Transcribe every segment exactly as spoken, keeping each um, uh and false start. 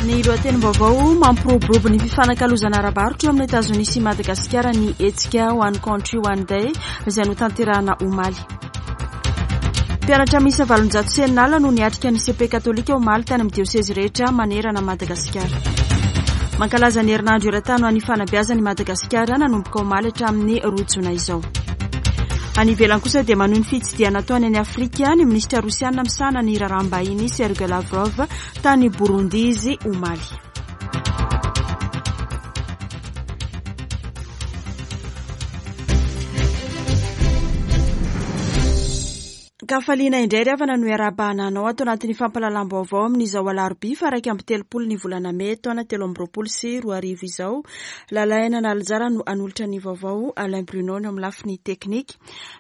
Ny lohatenim-baovao mampiroborobo ny fifanakalozana ara-barotra eo amin'ny Etazonia sy Madagasikara ny hetsika One Country One Day izay notanterahana omaly. Mpianatra miisa valonjato sy enina alina no niatrika ny C P katolika omaly tany amin'ny diosezy rehetra manerana Madagasikara. Mankalaza ny herinandro eran-tany ho an'ny fanabeazana i Madagasikara nanomboka omaly hatramin'ny roa jona izao. Any ivelany kosa dia manohy ny fitsidihana ataony any Afrika ny minisitra rosiana misahana ny raharaham-bahiny Sergei Lavrov tany Burundi izy omaly. Kafaliana indray ry havana no iarahabana anao ato anatin'ny fampahalalam-baovao amin'izao alarobia faha iraika amby telopolo ny volana mey taona telo amby roapolo sy roa arivo izao. Lalaina Nalinjara no hanolotra ny vaovao, Alain Bruno no amin'ny lafiny teknika.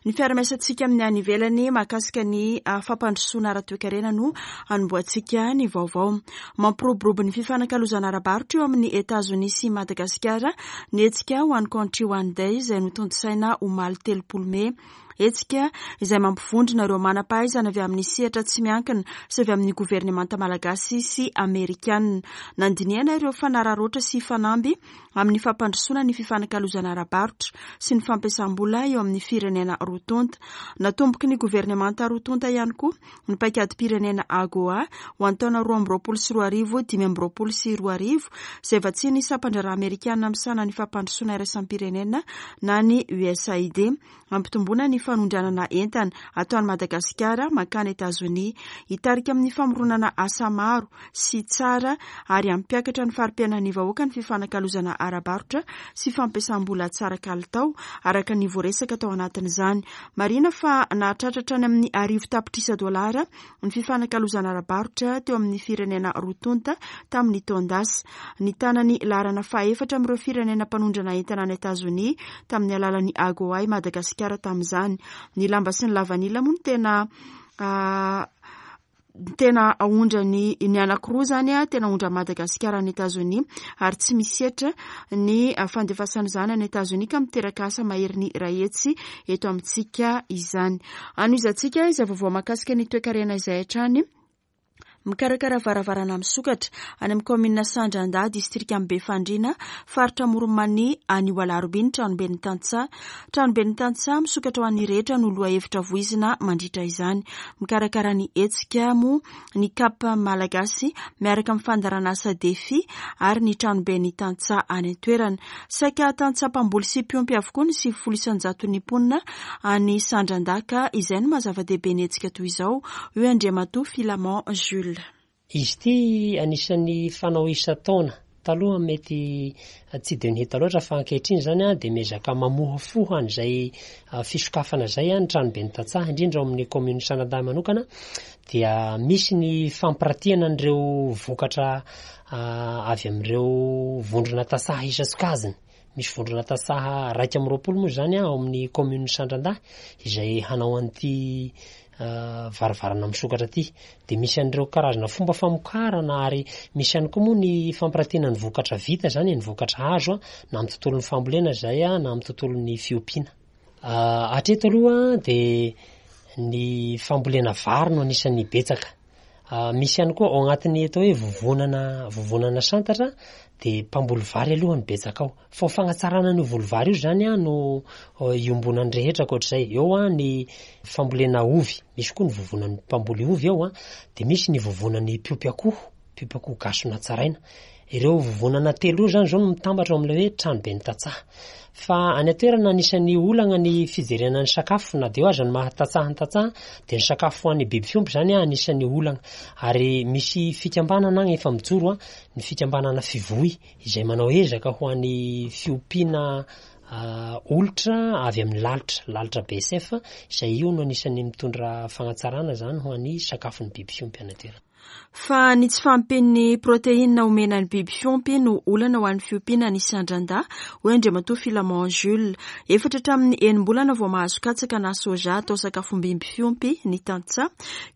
Ny fiarahamiasantsika amin'ny any ivelany mahakasika ny fampandrosoana ara-toekarena no hanombohantsika ny vaovao. Mampiroborobo ny fifanakalozana ara-barotra eo amin'ny Etazonia sy Madagasikara ny hetsika One Country One Day izay notontosaina omaly telopolo mey. Hetsika izay mampivondrona ireo manam-pahaizana avy amin'ny sehatra tsy miankina sy avy amin'ny governemanta malagasy sy amerikanina. Nandinihana ireo fanararaotra sy fanamby amin'ny fampandrosoana ny fifanakalozana ara-barotra sy ny fampiasam-bola eo amin'ny firenena roa tonta. Natomboky ny governemanta roa tonta ihany koa ny paikadim-pirenena AGOA ho an'ny taona roa amby roapolo sy roa arivo, dimy amby roapolo sy roa arivo, izay vatsian'ny sampan-draharaha amerikanina misahana ny fampandrosoana iraisam-pirenena na ny U S A I D. Ampitomboana ny fanondranana entana ataon'i Madagasikara mankany Etazonia, hitarika amin'ny famoronana asa maro sy tsara ary hampiakatra ny fari-piainan'ny vahoaka ny fifanakalozana ara-barotra sy fampiasam-bola tsara kalitao araka ny voaresaka tao anatin'izany. Marihina fa nahatratra hatrany amin'ny arivo tapitrisa dolara ny fifanakalozana ara-barotra teo amin'ny firenena roa tonta tamin'ny taon-dasa. Nitana ny laharana fahaefatra amin'ireo firenena mpanondrana entana any Etazonia tamin'ny alalan'ny AGOA i Madagasikara tamin'izany. Ny lamba sy ny lavanila moa no tena, ah, tena aondrany ny anankiroa izany, ah, tena aondran'i Madagasikara any Etazonia ary tsy misy hetra ny fandefasana izany any Etazonia ka miteraka asa mahery ny iray hetsy eto amintsika izany. Anohizantsika izay vaovao mahakasika ny toekarena izay hatrany. Mikarakara varavarana misokatra any amin'ny kaominina Sandrandahy, distrikan'i Befandriana, faritra Amoron'i-Mania, anio alarobia ny tranoben'ny tantsaha. Tranoben'ny tantsaha misokatra ho an'ny rehetra no lohahevitra voizina mandritra izany. Mikarakara ny hetsika moa ny C A P Malagasy miaraka amin'ny fandaharanasa Defi ary ny tranoben'ny tantsaha any an-toerana. Saika tantsaha mpamboly sy mpiompy avokoa ny sivifolo isan-jaton'ny mponina any Sandrandahy ka izay no maha zava-dehibe ny hetsika toy izao, hoy Andriamatoa Filamon Jules. Izy ity anisan'ny fanao isan-taona. Taloha mety tsy dia nihita loatra fa ankehitriny izany a, dia miezaka mamohafoha an'izay fisokafana izay a, ny tranoben'ny tantsaha, indrindra ao amin'ny kaominina Sandrandahy manokana, dia misy ny fampiratiana an'ireo vokatra, ah, avy amin'ireo vondrona tantsaha isan-tsokajiny. Misy vondrona tantsaha iraika amby roapolo moa izany a, ao amin'ny kaominina Sandrandahy izay hanao an'ity, ah, varavarana misokatra ity. Dia misy an'ireo karazana fomba famokarana ary misy ihany koa moa ny fampiratiana ny vokatra vita izany, ny vokatra azo a, na amin'ny tontolon'ny fambolena izay a, na amin'ny tontolon'ny fiompiana. Ah, hatreto aloha dia ny fambolena vary no anisan'ny betsaka. Ah, misy ihany koa ao anatin'ny atao hoe vovonana, vovonana santatra dia mpamboly vary aloha ny betsaka ao. Fa ho fagnatsarana an'io voly vary io izany a, no iombonan'ny rehetra ankoatr'izay. Eo a ny fambolena ovy, misy koa ny vovonan'ny mpamboly ovy ao a, dia misy ny vovonan'ny mpiompy akoho, mpiompy akoho gasy natsaraina. Ireo vovonana telo ireo izany izao no mitambatra ao amin'ilay hoe tranoben'ny tantsaha. Fa any an-toerana anisan'ny olana ny fijerena ny sakafo, na dia eo aza ny maha tantsaha ny tantsaha, dia ny sakafo ho an'ny biby fiompy izany a, anisan'ny olana. Ary misy fikambanana agny efa mijoro a, ny fikambanana Fivoy, izay manao ezaka ho an'ny fiompiana, ah, olitra avy amin'ny lalitra, lalitra B S F, izay io no anisan'ny mitondra fagnatsarana izany ho an'ny sakafon'ny biby fiompy any an-toerana. Fa ny tsy fahampian'ny proteina omena ny biby fiompy no olana ho an'ny fiompiana ny Sandrandahy, hoy Andriamatoa Filamon Jules. Efatra hatramin'ny enim-bolana vao mahazo katsaka na soja atao sakafom-biby fiompy ny tantsaha,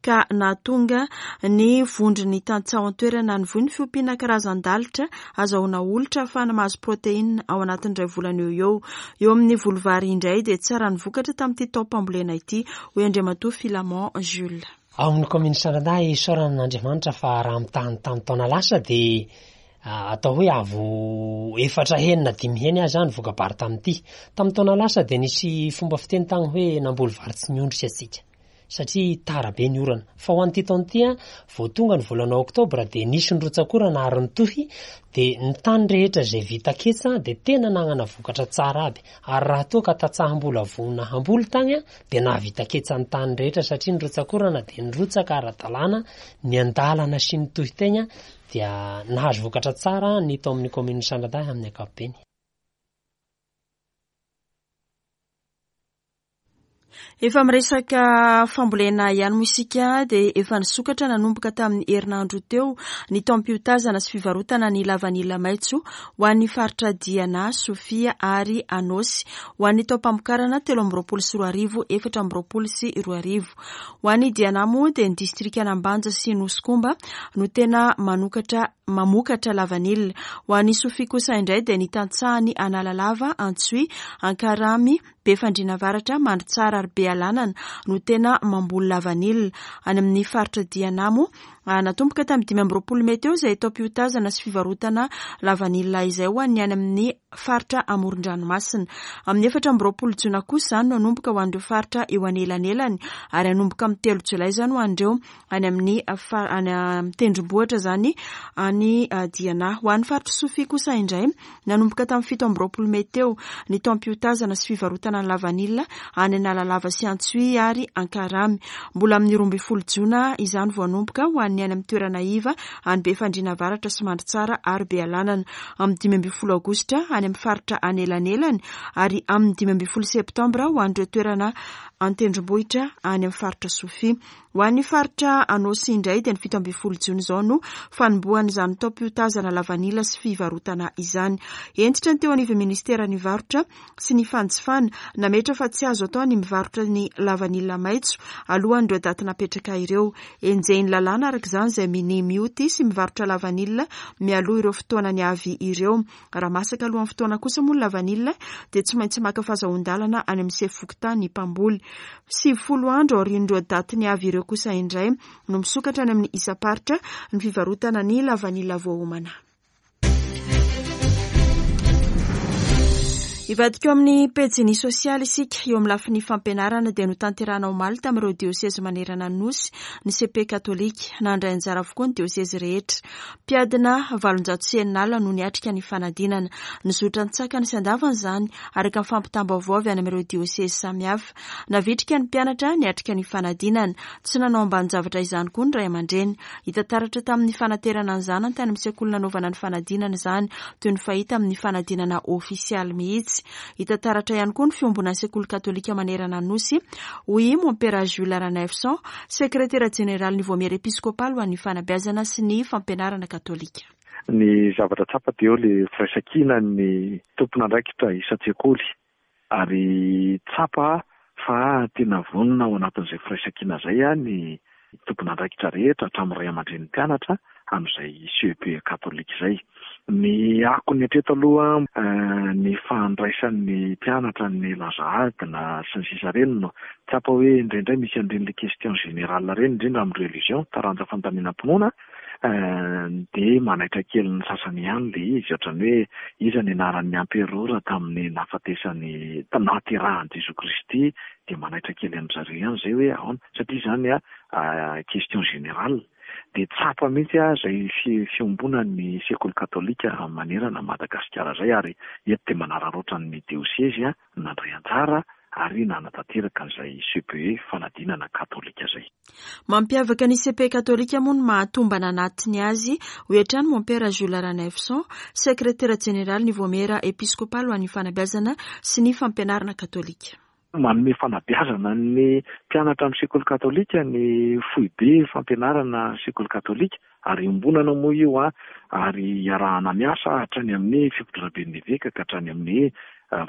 ka nahatonga ny vondron'ny tantsaha ao an-toerana nivoy ny fiompiana karazan-dalitra azahoana olitra ahafahana mahazo proteina ao anatin'ny iray volana eo eo. Eo amin'ny voly vary indray dia tsara ny vokatra tamin'ity taom-pambolena ity, hoy Andriamatoa Filamon Jules. Ao amin'ny kaominina Sandradahy, isaorana an'Andriamanitra fa raha mitaha ny tamin'ny taona lasa dia atao hoe avo efatra heny na dimy heny aza ny voka-bary tamin'ity. Tamin'ny taona lasa dia nisy fomba fiteny tany hoe namboly vary tsy miondrika atsika satria tara be ny orana. Fa ho an'ity taona ity, vao tonga ny volana oktobra dia nisy ny rotsak'orana ary nitohy, dia ny tany rehetra izay vita ketsa dia tena nanana vokatra tsara aby. Ary raha toa ka tantsaha mbola vonona hamboly tany dia nahavita ketsa ny tany rehetra satria ny rotsak'orana dia nirotsaka ara-dalàna ny andalana sy ny tohy teny dia nahazo vokatra tsara ny tao amin'ny kaominina Sandradahy amin'ny ankapobeny. Efa miresaka fambolena ihany moa isika dia efa nisokatra nanomboka tamin'ny herinandro teo ny taom-piotazana sy fivarotana ny lavanila maitso ho an'ny faritra Diana, Sofia ary Anôsy ho an'ny taom-pamokarana telo amby roapolo sy roa arivo, efatra amby roapolo sy roa arivo. Ho an'ny Diana moa dia ny distrikan'Ambanja sy Nosy-Komba no tena manokatra mamokatra lavanila. Ho an'ny Sofia kosa indray dia ny tantsahany Analalava, Antsohihy, Ankaramy, Befandriana Avaratra, Mandritsara ary Bealanana no tena mamboly lavanila. Any amin'ny faritra Diana moa, natomboka tamin'ny dimy amby roapolo mey teo izay taom-piotazana sy fivarotana lavanila izay ho an'ny any amin'ny faritra amoron-dranomasina. Amin'ny efatra amby roapolo jona kosa izany no hanomboka ho an'ireo faritra eo anelanelany ary hanomboka amin'ny telo jolay izany ho an'ireo any amin'ny any amin'ny tendrombohitra izany any Diana. Ho an'ny faritra Sofia kosa indray, nanomboka tamin'ny fito amby roapolo mey teo ny taom-piotazana sy fivarotana ny lavanila any Analalava sy Antsohihy ary Ankaramy. Mbola amin'ny roa ambin'ny folo jona izany vao hanomboka ho an'ny any amin'ny toerana iva any Befandriana Avaratra sy Mandritsara ary Bealanana. Amin'ny dimy ambin'ny folo aogositra any amin'ny faritra anelanelany ary amin'ny dimy ambin'ny folo septambra ho an'ireo toerana an-tendrombohitra any amin'ny faritra Sofia. Ho an'ny faritra Anôsy indray dia ny fito ambin'ny folo jona izao no fanombohan'izany taom-piotazana lavanila sy fivarotana izany. Hentitra ny teo anivon'ny ministeran'ny varotra sy ny fanjifana nametra fa tsy azo atao ny mivarotra ny lavanila maitso alohan'ireo daty napetraka ireo. Enjehin'ny lalàna araka izany izay minia mioty sy mivarotra lavanila mialoha ireo fotoanany avy ireo. Raha masaka alohan'ny fotoana kosa moa ny lavanila dia tsy maintsy maka fahazoan-dalana any amin'ny sefo fokontany mpamboly. Sivifolo andro aorian'ireo datiny avy ireo kosa indray no misokatra any amin'ny isam-paritra ny fivarotana ny lavanila voaomana. Hivadika eo amin'ny pejiny sosialy isika. Eo amin'ny lafiny fampianarana dia notanterahina omaly tamin'ireo diosezy manerana ny nosy ny C P katolika. Nandray anjara avokoa ny diosezy rehetra. Mpiadina valonjato sy enina alina no niatrika ny fanadinana. Nizotra an-tsakany sy andavany izany araka ny fampitam-baovao avy any amin'ireo diosezy samihafa. Navitrika ny mpianatra niatrika ny fanadinana. Tsy nanao ambanin-javatra izany koa ny ray aman-dreny. Hita taratra tamin'ny fanaterana ny zanany tany amin'ny sekoly nanaovana ny fanadinana izany, toy ny fahita amin'ny fanadinana ofisialy mihitsy. Hita taratra ihany koa ny fiombonan'ny sekoly katolika manerana ny nosy, hoy Mompera Jules Ranaivoson, sekretera jeneraly ny Vaomiera episkopaly ho an'ny fanabeazana sy ny fampianarana katolika. Ny zavatra tsapa dia eo ilay firaisankina ny tompon'andraikitra isan-tsekoly ary tsapa fa tena vonona ao anatin'izay firaisankina izay ny tompon'andraikitra rehetra hatramin'ny ray aman-drenin'ny mpianatra amin'izay C E P katolika izay. Ny akony hatreto aloha ny fandraisan'ny mpianatra ny laza adina sy ny sisa ireny no tsapa hoe indraindray misy an'ireny le question générale ireny, indrindra amin'ny religion, taranja fanontaniana-pinoana, dia manaitra kely ny sasany ihany le izy, ohatran'ny hoe iza ny anaran'ny emperora tamin'ny nahafatesany, nahaterahan'i Jesoa Kristy, dia manaitra kely amin-dry zareo ihany izay hoe ahoana, satria izany a question générale. Dia tsapa mihitsy a izay fi-, fiombonan'ny sekoly katolika manerana Madagasikara izay, ary eto dia manararaotra ny diosezy a nandray anjara ary nanatanteraka an'izay C P E fanadinana katolika izay. Mampiavaka ny C P katolika moa ny mahatombana anatiny azy, hoy hatrany Mompera Jules Ranaivoson, sekretera jeneraly ny Vaomiera episkopaly ho an'ny fanabeazana sy ny fampianarana katolika. Manome fanabeazana ny mpianatra amin'ny sekoly katolika ny foibe fampianarana sekoly katolika, ary iombonana moa io a, ary iarahana miasa hatrany amin'ny fitondraben'ny eveka ka hatrany amin'ny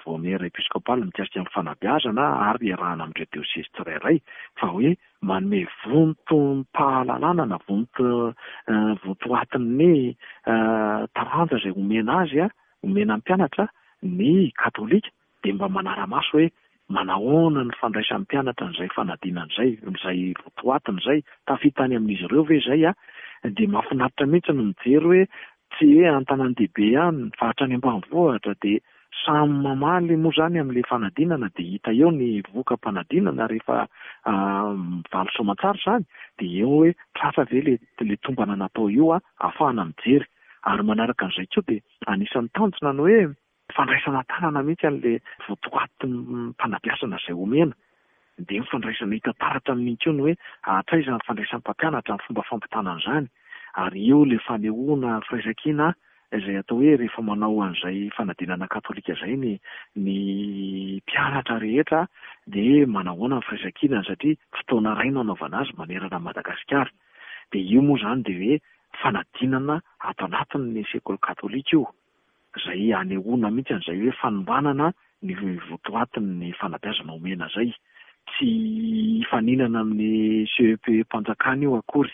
Vaomiera episkopaly mikasika amin'ny fanabeazana, ary iarahana amin'ireo diosezy tsirairay, fa hoe manome vontom-pahalalana na vonto-, vontoatin'ny taranja izay omena azy, omena ny mpianatra ny katolika, dia mba manara-maso hoe Manahoana ny fandraisan'ny mpianatra an'izay fanadinana izay, izay votoatiny izay, tafita any amin'izy ireo ve izay? Dia mahafinaritra mihitsy ny mijery hoe tsy hoe an-tanàn-dehibe ihany fa hatrany ambanivohitra dia samy mamaly moa izany amin'ilay fanadinana, dia hita eo ny voka-panadinana rehefa mivaly soamantsara izany, dia eo hoe tratra ve ilay ilay tombana natao io ahafahana mijery. Ary manaraka an'izay koa dia anisan'ny tanjona ny hoe fandraisana tanana mihitsy an'ilay votoatim-panabeazana izay omena, dia ny fandraisana hita taratra amin'iny koa ny hoe hatraiza ny fandraisan'ny mpampianatra ny fomba fampitana an'izany, ary eo ilay fanehoana firaisankina izay atao hoe rehefa manao an'izay fanadinana katolika izay ny ny mpianatra rehetra dia manahoana ny firaisankinany satria fotoana iray no anaovana azy manerana an'i Madagasikara. Dia io moa izany dia hoe fanadinana ato anatin'ny sekoly katolika io, izay anehoana mihitsy an'izay hoe fanombanana ny votoatin'ny fanabeazana omena izay. Tsy hifaninana amin'ny C E P E mpanjakana io akory,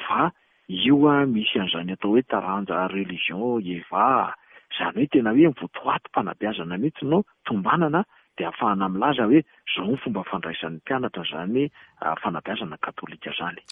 fa io misy an'izany atao hoe taranja religion E V A, izany hoe tena hoe votoatim-panabeazana mihitsy no tombanana, dia ahafahana milaza hoe izao ny fomba fandraisan'ny mpianatra izany fanabeazana katolika izany.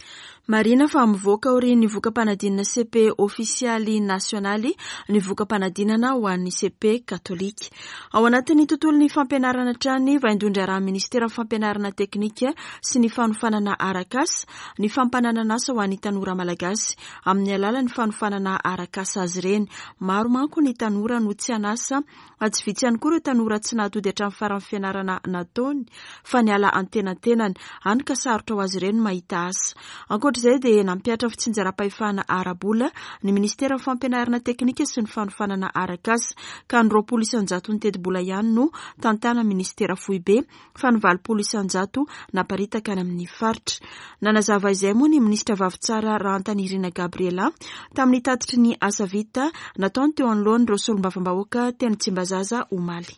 Marina fa mivoaka aorian'ny voka-panadinana C E P E ofisialy nasionaly ny voka-panadinana ho an'ny C E P E katolika. Ao anatin'ny tontolon'ny fampianarana hatrany, vaindohan-draharaha ministeran'ny fampianarana teknika sy ny fanofanana arak'asa ny fampananana asa ho an'ny tanora malagasy amin'ny alalan'ny fanofanana arak'asa azy ireny. Maro manko ny tanora no tsy an'asa, tsy vitsy ihany koa ireo tanora tsy nahatody hatramin'ny faran'ny fianarana nataony fa niala antenantenany, hany ka sarotra ho azy ireny mahita asa. Ankoatr'izay dia nampihatra fitsinjaram-pahefana ara-bola ny ministeran'ny fampianarana teknika sy ny fanofanana arak'asa, ka ny roapolo isan-jato ny tetibola ihany no tantana ministera foibe fa ny valopolo isan-jato naparitaka any amin'ny faritra. Nanazava izay moa ny ministra Vavitsara Rahantanirina Gabriela tamin'ny tatitry ny asa vita nataony teo anoloan'ireo solombavambahoaka teny Tsimbazaza omaly.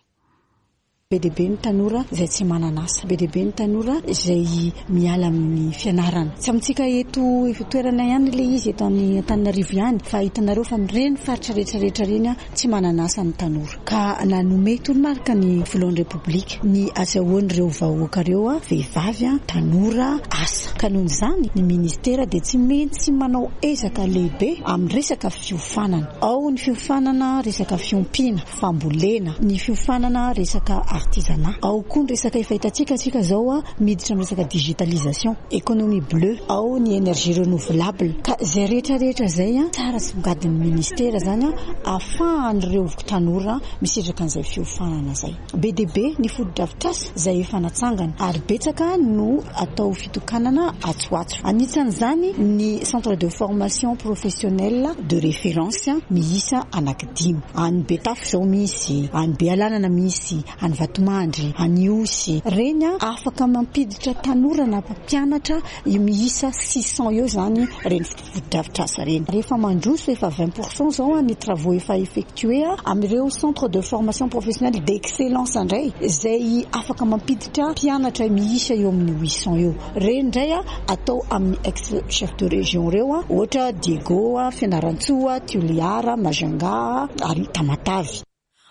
Be dia be ny tanora izay tsy manana asa, be dia be ny tanora izay miala amin'ny fianarana. Tsy amintsika eto toerana ihany ilay izy eto amin'ny Antananarivo ihany, fa hitanareo fa amin'ireny faritra rehetrarehetra ireny tsy manana asa ny tanora. Ka nanome toromarika ny filohan'ny Repoblika ny azahoan'ireo vahoaka ireo, vehivavy, tanora, asa. Ka noho izany ny ministera dia tsy maintsy manao ezaka lehibe amin'ny resaka fiofanana. Ao ny fiofanana resaka fiompiana, fambolena, ny fiofanana resaka artisanat. Ao koa ny resaka efa hitantsika tsika zao a miditra amin'ny resaka digitalisation, économie bleue, ao ny énergie renouvelable. Ka izay rehetrarehetra zay a tsara songadin'ny ministera zany a ahafahan'ireo tanora misitraka an'izay fiofanana zay. Be dia be ny fotodrafitrasa izay efa natsangana ary betsaka no atao fitokanana atsoatso. Anisan'izany ny centre de formation professionnelle de référence miisa anankidimy. Any Betafo zao misy, any Bealanana misy, any Vatomandry, any Ihosy. Reny a afaka mampiditra tanora na mpampianatra miisa six cents eo zany reny fotodrafitrasa reny. Rehefa mandroso efa vingt pourcent zao ny travaux efa effectué amin'ireo centre de formation professionnelle d'excellence indray izay afaka mampiditra mpianatra miisa eo amin'ny huit cents eo. Reny indray a atao amin'ny ex chef de région reo a ohatra Diego, Fianarantsoa, Toliara, Majunga ary Tamatavy.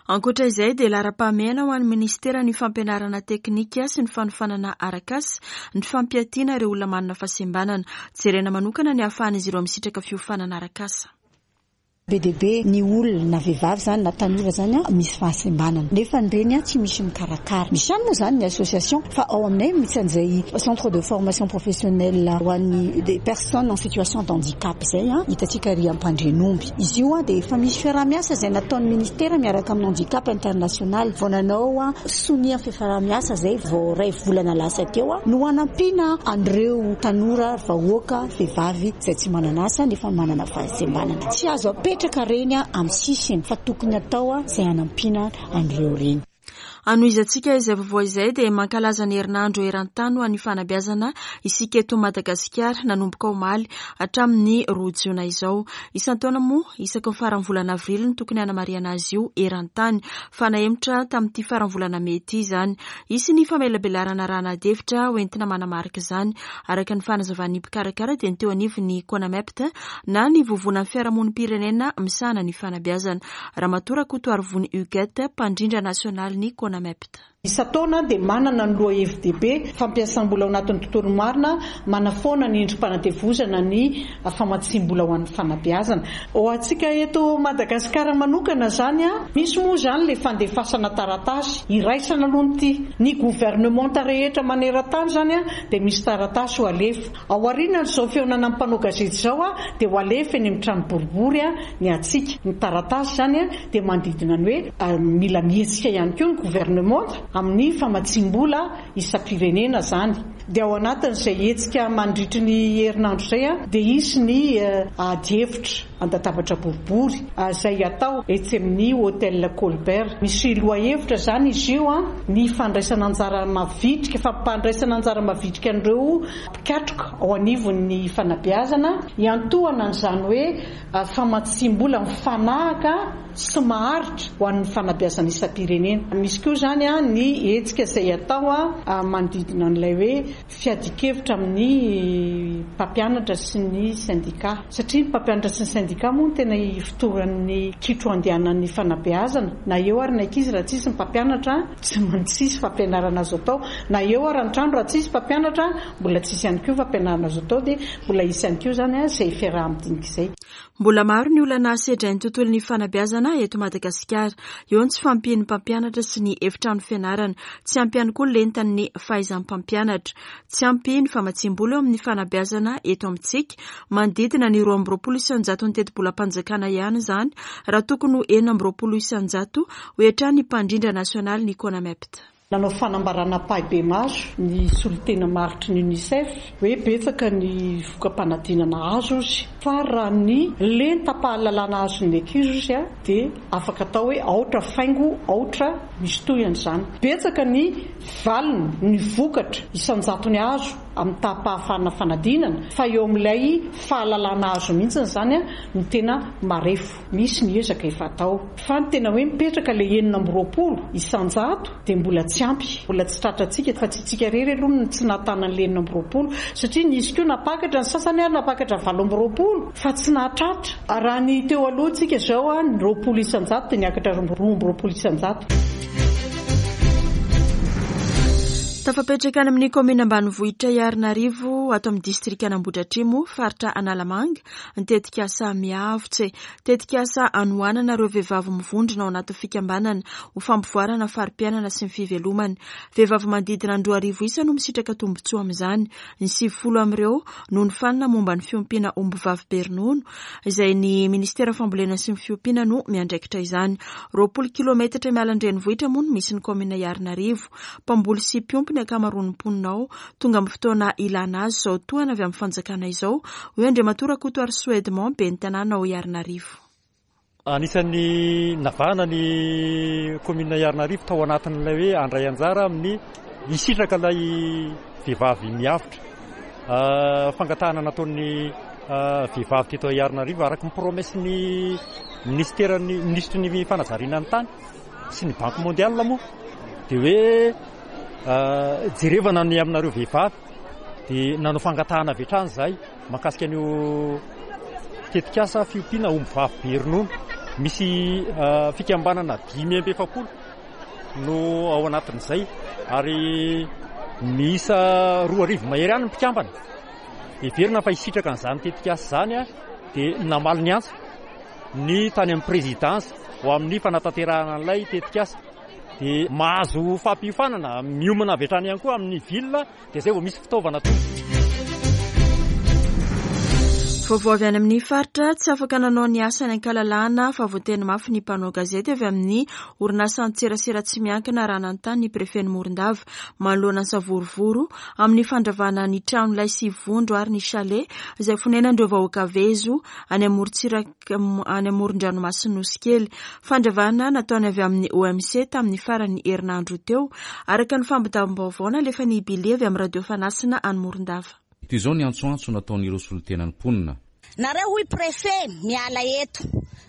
Ankoatra izay dia laharam-pahamehana ho an'ny ministera ny fampianarana teknika sy ny fanofanana arak'asa ny fampiatiana ireo olona manana fahasembanana. Jerena manokana ny ahafahan'izy ireo misitraka fiofanana arak'asa. Be dia be ny olona na vehivavy zany na tanora zany a misy fahasembanana, nefa nyreny a tsy misy mikarakara. Misy ihany moa zany ny association, fa ao aminay misy an'izay centre de formation professionnelle ho an'ny des personnes en situation d'handicap zay a hitantsika ry Ampandrenomby izy io a dia efa misy fiaraha-miasa zay nataon'ny ministera miaraka amin'ny Handicap International vao nanao a sonia fiaraha-miasa zay vao ray volana lasa teo a no anampiana an'ireo tanora, vahoaka, vehivavy zay tsy manana asa nefa manana fahasembanana. Tsy azo apetraka reny a amin'ny sisiny fa tokony atao a izay anampiana an'ireo reny. Anohizantsika izay vaovao izay dia mankalaza ny herinandro eran-tany ho an'ny fanabeazana isika eto Madagasikara nanomboka omaly hatramin'ny roa jona izao. Isan-taona moa isaky ny faran'ny volana avrily ny tokony hanamarihana azy io eran-tany fa nahemotra tamin'ity faran'ny volana mey ity izany. Hisy ny famelabelarana raha adihevitra hoentina manamarika izany. Araka ny fanazavan'ny mpikarakara dia ny teo anivon'ny CONAMEPT na ny vovonan'ny fiarahamonim-pirenena misahana ny fanabeazana. Ramatoa Rakotoarivony Huguette, mpandrindra nasionaly ny CONAMEPT. Isan-taona dia manana ny lohahevi-dehibe fampiasam-bola ao anatin'ny tontolo marina, manafoana ny endri-panadevozana ny famatsiam-bola ho an'ny fanabeazana. Ho antsika eto Madagasikara manokana izany, misy moa izany ilay fandefasana taratasy iraisana aloha ity. Ny governemanta rehetra maneran-tany izany dia misy taratasy ho alefa. Ao aorian'izao fihaonana amin'ny mpanao gazety izao dia ho alefa eny amin'ny trano boribory ny antsika. Ny taratasy izany dia manodidina ny hoe mila mihetsika ihany koa ny governemanta amin'ny famatsiam-bola isam-pirenena izany. Dia ao anatin'izay hetsika mandritry ny herinandro izay dia hisy ny adihevitra an-databatra boribory izay atao etsy amin'ny Hôtel Colbert. Misy lohahevitra izany izy io, ny fandraisana anjara mavitrika, fampandraisana anjara mavitrika an'ireo mpikatroka ao anivon'ny fanabeazana, hiantohana an'izany hoe famatsiam-bola mifanahaka sy maharitra ho an'ny fanabeazana isam-pirenena. Misy koa izany ny hetsika izay atao manodidina an'ilay hoe fiadian-kevitra amin'ny mpampianatra sy ny sendika, satria ny mpampianatra sy ny sendika moa no tena ifotoran'ny kitro andehanan'ny fanabeazana. Na eo ary ny ankizy raha tsisy ny mpampianatra, tsy maintsy fampianarana azo atao. Na eo ary ny trano raha tsisy mpampianatra, mbola tsisy ihany koa fampianarana azo atao, dia mbola hisy ihany koa izany izay fiaraha-midinika izay. Mbola maro ny olana sedrain'ny tontolon'ny fanabeazana eto Madagasikara. Eo ny tsy fahampian'ny mpampianatra sy ny efitrano fianarana. Tsy ampy ihany koa lentan'ny fahaizan'ny mpampianatra. Tsy ampy ny famatsiam-bola eo amin'ny fanabeazana eto amintsika. Manodidina ny roa amby roapolo isan-jato ny tetibolam-panjakana ihany izany, raha tokony ho enina amby roapolo isan-jato ho hatrany ny mpandrindra nasionaly ny CONAMEPT. Nanao fanambarana ampahibemaso ny solontena maritry ny UNICEF hoe betsaka ny voka-panadinana azo izy, fa raha ny lentam-pahalalana azon'ny ankizy izy dia afaka atao hoe aotra faingo aotra misy tohiny izany. Betsaka ny valiny, ny vokatra isan-jatony azo amin'ny taham-pahafahana fanadinana, fa eo amin'ilay fahalalana azo mihitsy izany no tena marefo. Misy ny ezaka efa atao, fa ny tena hoe mipetraka ilay enina amby roapolo isan-jato dia mbola tsy ampy, mbola tsy tratrantsika, fa tsy isika irery aloha no tsy nahatana an'ilay enina amby roapolo, satria nisy koa nampakatra ny sasany ary nampakatra valo amby roapolo fa tsy nahatratra. Raha ny teo aloha tsika izao ny roapolo isan-jato dia niakatra roa amby roapolo isan-jato. Tafapetraka any amin'ny kaominina ambanivohitra Iarinarivo ato amin'ny distrikan'Ambohidratrimo, faritra Analamanga, ny tetikasa Miavotse. Tetikasa anohanana ireo vehivavy mivondrona ao anatin'ny fikambanana ho fampivoarana fari-piainana sy ny fivelomana. Vehivavy manodidina ny roa arivo isa no misitraka tombontsoa amin'izany. Ny sivifolo amin'ireo no nifanina momba ny fiompiana ombivavy be ronono, izay ny ministera fambolena sy ny fiompiana no miandraikitra izany. Roapolo kilometatra miala an-drenivohitra moa no misy ny kaominina Iarinarivo. Mpamboly sy mpiompy ny ankamaroan'ny mponina ao. Tonga amin'ny fotoana ilana azy izao tohana avy amin'ny fanjakana izao, hoy Andriamatoa Rakotoarisoa Edmond, ben'ny tanàna ao Iarinarivo. Anisan'ny navahana ny kaominina Iarinarivo tao anatin'ilay hoe handray anjara amin'ny hisitraka ilay vehivavy miavotra. Fangatahana nataon'ny vehivavy teto Iarinarivo araka ny promesse-n'ny ministeran'ny minisitry ny fanajariana ny tany sy ny Banque mondiale moa dia hoe jerevana ny aminareo vehivavy, dia nanao fangatahana avy hatrany izahay mahakasika an'io tetikasa fiompiana ombivavy be ronono. Misy fikambanana dimy amby efapolo no ao anatin'izay ary miisa roa arivo mahery ihany ny mpikambana. Heverina fa hisitraka an'izany tetikasa izany dia namaly ny antso ny tany amin'ny présidence ho amin'ny fanatanterahana an'ilay tetikasa. Dia mahazo fampiofanana miomana avy hatrany ihany koa amin'ny ville, dia izay vao misy fitaovana tonga. Vaovao avy any amin'ny faritra, tsy afaka nanao ny asany an-kalalahana fa voateny mafy ny mpanao gazety avy amin'ny orinasan-tserasera tsy miankina raha nanontany ny prefet Morondava manoloana ny savorovoro amin'ny fandravana ny trano lay sy vondro ary ny chalet izay fonenan'ireo vahoaka vezo any amorontsiraka any amoron-dranomasina Nosy Kely. Fandravana nataony avy amin'ny O M C tamin'ny faran'ny herinandro teo, araka ny fampitam-baovao nalefan'i Billy avy amin'ny radio Fanasina any Morondava. Toy izao ny antsoantso nataon'ireo solontenan'ny mponina. Nareo hoy préfet miala eto,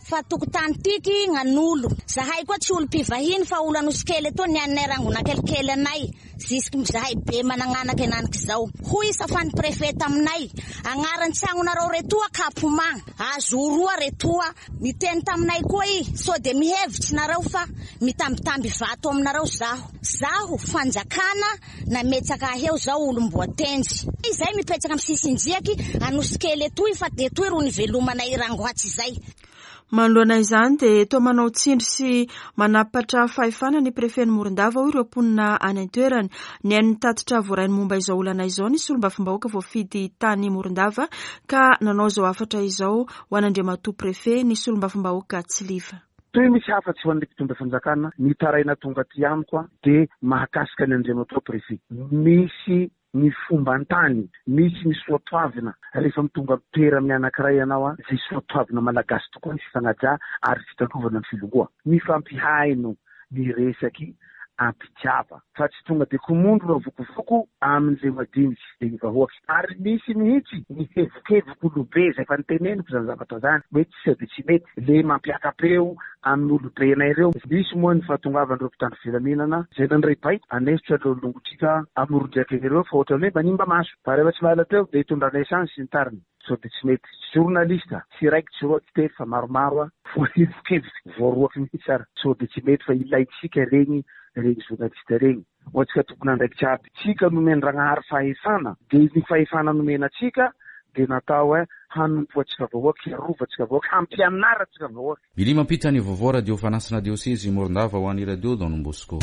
Fa tokotany tiky gnan'olo. Zahay koa tsy olo mpivahiny fa olo Anosikely etoa nianinay rangona kelikely anay. Jusque zahay be managnanaky henaniky zao. Hoy safan'ny préfet taminay, agnaran-tsagnonareo retoa kapoma, azo roa retoa. Niteny taminay koa i, sao de mihevitsy nareo fa mitambitamby vato aminareo zaho. Zaho fanjakana nametsaka ahy eo zao olom-boatenjy. Izay mipetraka amin'ny sisin-driaky Anosikely etoy fa etoy ro nivelomanay rangoatsy izay. Manoloana izany dia toa manao tsindry sy manapatra fahefana ny prefet Morondava hoy ireo mponina any an-toerana. Nihaino ny tatitra voarainy momba izao olana izao ny solombavambahoaka voafidy tany Morondava ka nanao izao hafatra izao ho an'Andriamatoa prefet ny solombavambahoaka Tsiliva. Toy misy hafa tsy ho an'ny mpitondra fanjakana nitaraina tonga aty amiko a dia mahakasika ny Andriamatoa prefet. Misy ny fomban-tany, misy ny soatoavina. Rehefa mitonga mitoera amin'ny anankiray ianao a, izay soatoavina malagasy tokoa ny fifanaja ary fitandrovana ny filongoa. Mifampihaino ny resaky ampitiava fa tsy tonga de komondro raha vokovoko amin'izay madiniky de ny vahoaka. Ary misy mihitsy ny hevokevoko olobe izay efa niteneniko zany zavatra zany hoe tsy sao de tsy mety le mampiaka-peo amin'ny olobenay ireo. Misy moa ny fahatongavan'ireo mpitandro filaminana izay nandray baiko anesotra ireo longotrika amoron-driaka ireo fa ohatran'ny hoe manimba maso. Fa rehefa tsy mahala teo de hitondra essence sy ny tariny. Sao de tsy mety. Journaliste tsy raiky tsy roa tsy telo fa maromaro a voahevokevoko voaroaky mihitsy ary sao de tsy mety fa ilaintsika regny regny journaliste regny. Ho antsika tompon'andraikitra aby, tsika nomen-dragnahary fahefana, de ny fahefana nomena antsika de natao hoe hanompoantsika vahoaka, hiarovantsika vahoaka, hampianarantsika vahoaka. Billy mampita ny vaovao radio Fanasina Diocese Morondava ho an'ny radio Don Bosco.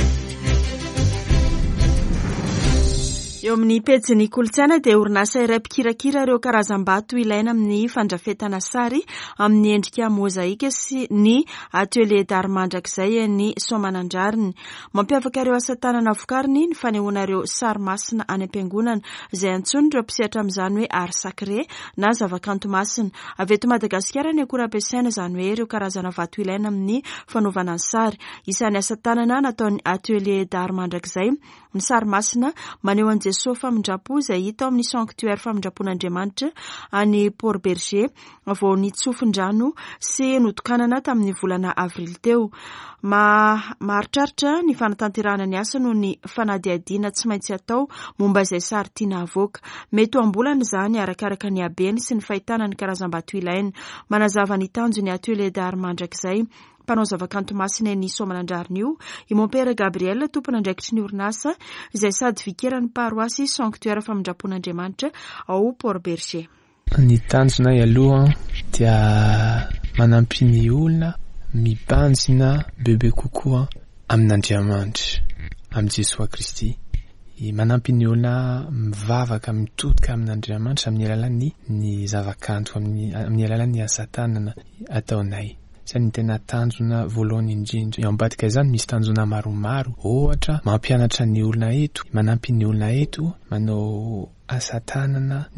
Eo amin'ny pejin'ny kolontsaina dia orinasa iray mpikirakira ireo karazam-bato ilaina amin'ny fandrafetana sary amin'ny endrika mozaika sy ny atelier d'art mandrakizay eny Soamanandrariny. Mampiavaka ireo asa tanana vokariny ny fanehoana ireo sary masina any am-piangonana izay antsoin'ireo mpisehatra amin'izany hoe art sacré na zavakanto masina. Avy eto Madagasikara ny akora ampiasaina, izany hoe ireo karazana vato ilaina amin'ny fanaovana ny sary. Isan'ny asa tanana nataon'ny atelier d'art mandrakizay ny sary masina maneho an'i Jesoa famindram-po izay hita ao amin'ny sanctuaire famindram-pon'Andriamanitra any Port-Bergé vao nitsofin-drano sy notokanana tamin'ny volana avrily teo. Maharitraritra ny fanatanterahana ny asa noho ny fanadihadiana tsy maintsy atao momba izay sary tiana avoaka. Mety ho am-bolana izany arakaraka ny habeny sy ny fahitana ny karazam-bato ilaina. Manazava ny tanjon'ny atelier d'art mandrakizay mpanao zavakanto masina eny Soamanandrariny io i Mompera Gabriel, tompon'andraikitry ny orinasa izay sady vikeran'ny paroasy sanctuaire famindram-pon'Andriamanitra ao Port-Bergé. Ny tanjonay aloha dia manampy ny olona mibanjina bebe kokoa amin'Andriamanitra, amin'i Jesoa Kristy. Manampy ny olona mivavaka, mitodika amin'Andriamanitra amin'ny alalan'ny ny zavakanto, amin'ny amin'ny alalan'ny asa tanana ataonay. Izay ny tena tanjona voalohany indrindra. Eo ambadika izany misy tanjona maromaro, ohatra mampianatra ny olona eto, manampy ny olona eto, manao asa tanana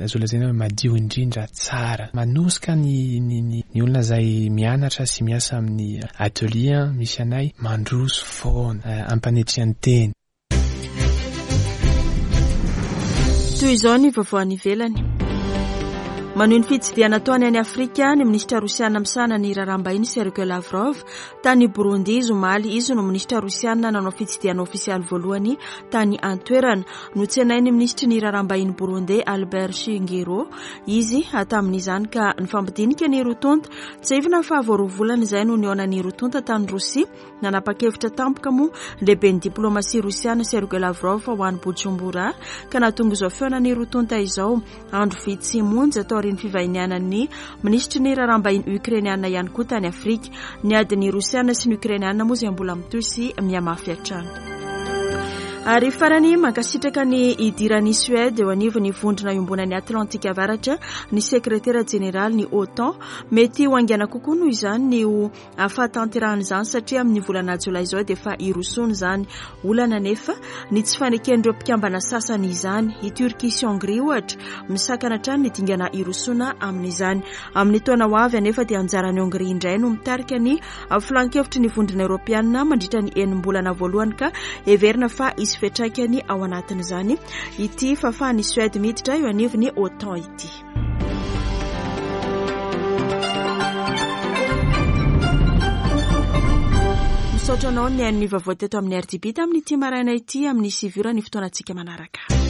azo lazaina hoe madio indrindra, tsara. Manosika ny, ny, ny, ny olona izay mianatra sy miasa amin'ny atelier misy anay, mandroso foana, ampanetrehan-tena. Toy izao ny vaovao any ivelany. Manohy ny fitsidihana ataony any Afrika ny minisitra rosiana misahana ny raharaham-bahiny Sergei Lavrov tany Burundi izy omaly. Izy no minisitra rosiana nanao fitsidihana ofisialy voalohany tany an-toerana. Notsenain'ny minisitry ny raharaham-bahiny Burundi Albert Shingiro izy tamin'izany ka nifampidinika ny roa tonta. Tsiahivina fa vao roa volana izay no nihaona ny roa tonta tany Rosia. Nanapa-kevitra tampoka moa lehiben'ny diplomasia rosiana Sergei Lavrov ho any Bujumbura ka nahatonga izao fihaonan'ny roa tonta izao andro vitsy monja taorian'ny fivahinianan'ny minisitry ny raharaham-bahiny Ukrainiana ihany koa tany Afrika. Ny adin'ny Rosiana sy ny Ukrainiana moa izay mbola mitohy sy mihamafy hatrany. Ary farany, mankasitraka ny idiran'i Suède eo anivon'ny vondrona iombonan'ny Atlantika Avaratra ny sekretera jeneraly ny OTAN. Mety ho haingana kokoa noho izany ny ho fahatanterahan'izany satria amin'ny volana jolay izao dia efa hirosoana izany. Olana nefa ny tsy faneken'ireo mpikambana sasany izany. I Turquie sy Hongrie ohatra misakana hatrany ny dingana hirosoana amin'izany. Amin'ny taona ho avy anefa dia anjaran'i Hongrie indray no mitarika ny filan-kevitry ny vondrona eoropeanina mandritra ny enim-bolana voalohany ka heverina fa hisy fiantraikany ao anatin'izany ity fahafahan'i Suède miditra eo anivon'ny OTAN ity. Misaotra anao nihaino ny vaovao teto amin'ny R T B tamin'ity maraina ity. Amin'ny sivy ora ny fotoanantsika manaraka.